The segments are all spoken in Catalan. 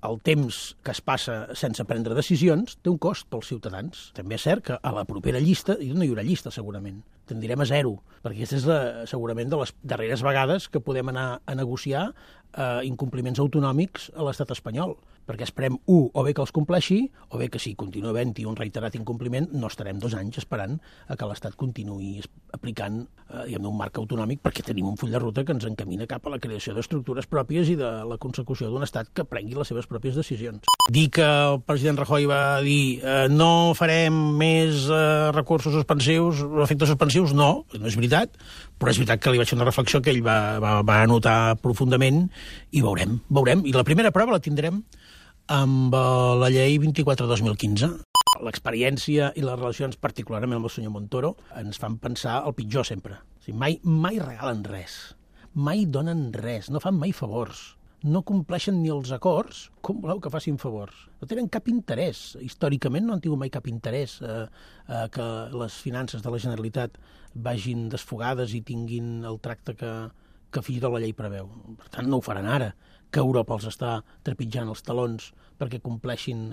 el temps que es passa sense prendre decisions té un cost pels ciutadans. També és cert que a la propera llista no hi haurà llista, segurament. Tendirem a zero, perquè aquesta és segurament de les darreres vegades que podem anar a negociar incompliments autonòmics a l'estat espanyol, perquè esperem, o bé que els compleixi, o bé que si continua havent-hi un reiterat incompliment, no estarem 2 anys esperant a que l'Estat continuï aplicant un marc autonòmic, perquè tenim un full de ruta que ens encamina cap a la creació d'estructures pròpies i de la consecució d'un Estat que prengui les seves pròpies decisions. Dir que el president Rajoy va dir no farem més recursos suspensius, efectes suspensius, no és veritat, però és veritat que li vaig fer una reflexió que ell va anotar profundament i veurem. I la primera prova la tindrem amb la llei 24/2015. L'experiència i les relacions, particularment amb el senyor Montoro, ens fan pensar el pitjor sempre. O sigui, mai regalen res, mai donen res, no fan mai favors, no compleixen ni els acords, com voleu que facin favors? No tenen cap interès. Històricament no han tingut mai cap interès que les finances de la Generalitat vagin desfogades i tinguin el tracte que fins i tot la llei preveu. Per tant, no ho faran ara, que Europa els està trepitjant els talons perquè compleixin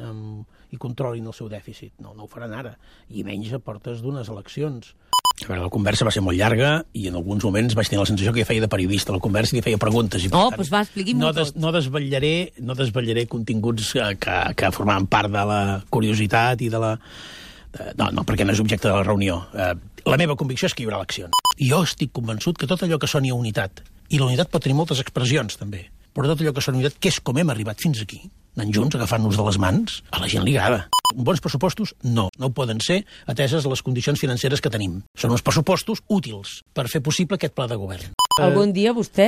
i controlin el seu dèficit. No ho faran ara, i menys a portes d'unes eleccions. A veure, la conversa va ser molt llarga i en alguns moments vaig tenir la sensació que feia de periodista la conversa i li feia preguntes. Doncs va, expliqui-m'ho tot. No desvetllaré continguts que formaven part de la curiositat i de la... No, perquè no és objecte de la reunió. La meva convicció és que hi haurà eleccions. Jo estic convençut que tot allò que soni a unitat, i la unitat pot tenir moltes expressions, també, però tot allò que soni a unitat, que és com hem arribat fins aquí, anant junts, agafant-nos de les mans, a la gent li agrada. Bons pressupostos, no ho poden ser, ateses les condicions financeres que tenim. Són uns pressupostos útils per fer possible aquest pla de govern. Algun dia vostè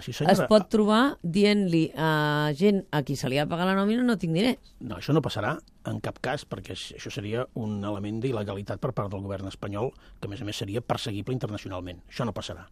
sí, senyora, es pot trobar dient-li a gent a qui se li ha pagat la nòmina no tinc diners. No, això no passarà en cap cas, perquè això seria un element d'il·legalitat per part del govern espanyol, que a més seria perseguible internacionalment. Això no passarà.